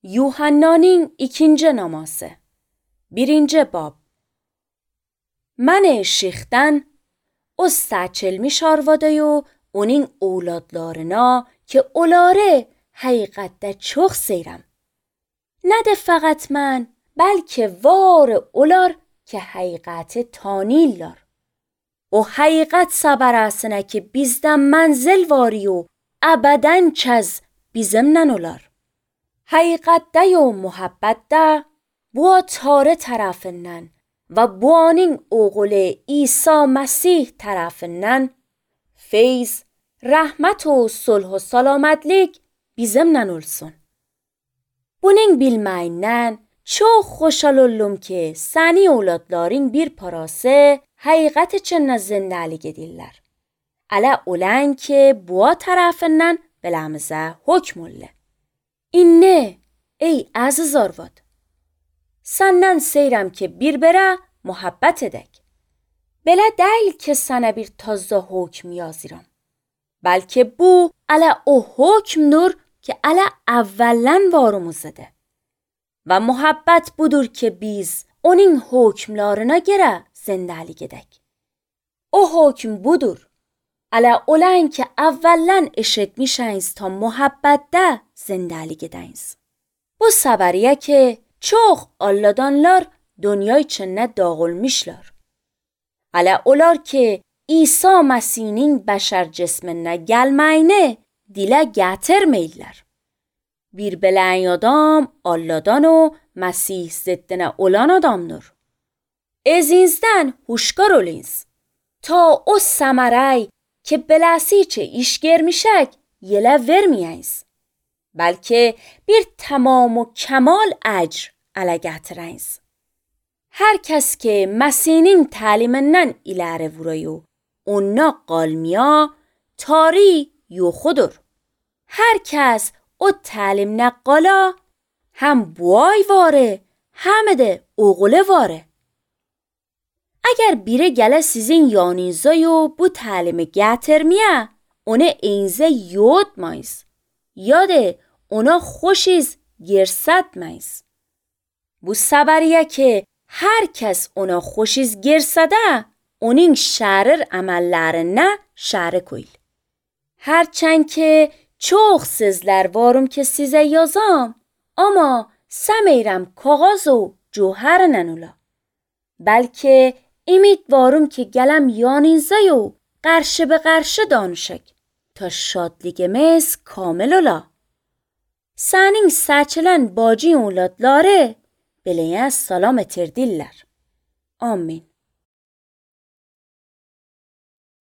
Yuhanna'nın ikinci naması. 1. bab. Mən şeyxdən o seçilmiş arvadayı onun oğladlarına ki onları həqiqətdə çox seyrəm. Nə də fəqət mən, bəlkə var onlar ki həqiqəti tanıyırlar. O həqiqət səbərəsinə ki bizdən mənzil var و əbədən kəz bizimlə olar. Həqiqətdə و muhabbətdə bu Tanrı tərəfindən və bu onun oğlu İsa Məsih tərəfindən feyz, rəhmət و صلح و سلامتlik bizimlə olsun. Bunun bilməyindən çox xoşal oldum ki səni oğladların bir parası həqiqət üçün zindəlik edirlər. Ələ olan ki bu tərəfindən beləmizə hökm oldu. İnne ey əziz arvad, səndən seyrəm ki bir-birə muhabbət edək. Belə deyil ki sənə bir tazə hökm yazıram. Bəlkə bu ələ o hökmdür ki ələ əvvələn varımızdır. Və muhabbət budur ki biz onun hökmlarına görə zindəlik edək. O hökm budur. Ələ olan ki əvvələn eşitmişəniz ta muhabbətdə zindəlik edəniz. Bu səbəriyə ki çox alladanlar dünya içində dağılmışlar. Ələ olar ki İsa Məsihinin bəşər cisminə gəlməyini dilə gətirməyirlər. Bir belən adam alladan و Məsih ziddinə olan adamdır. Ezinizdən huşkar olunuz ta o səmərəy ki beləsiçə iş görmüşək yelə verməyəniz. Bəlkə bir tamam و kemal əcr ələ gətirəniz. Hər kəs ki Məsihinin təlimindən iləri vurayı ona qalmaya tari yoxudur. Hər kəs o təlimlə qala həm buay vare həm də oğlu vare. Əgər biri gələ sizin yanınıza bu təlimi gətirməyə onu eyinizə yodmayız ya da ona xoşiz girsətməyiz. Bu səbəriyə ki hər kəs ona xoşiz girsədə onun şərir əməllərinə şərik ol. Hərçənd ki çox sözlər varım ki sizə yazam, amma səmeyrəm kağız و cövhərlə ola. Bəlkə ümidvarım ki gələm yanınıza و qarşı به qarşı danışək ta şadlığımız kamil ola. Sənin seçilən bacı oğladları beləyə salam etirdirlər. Amin.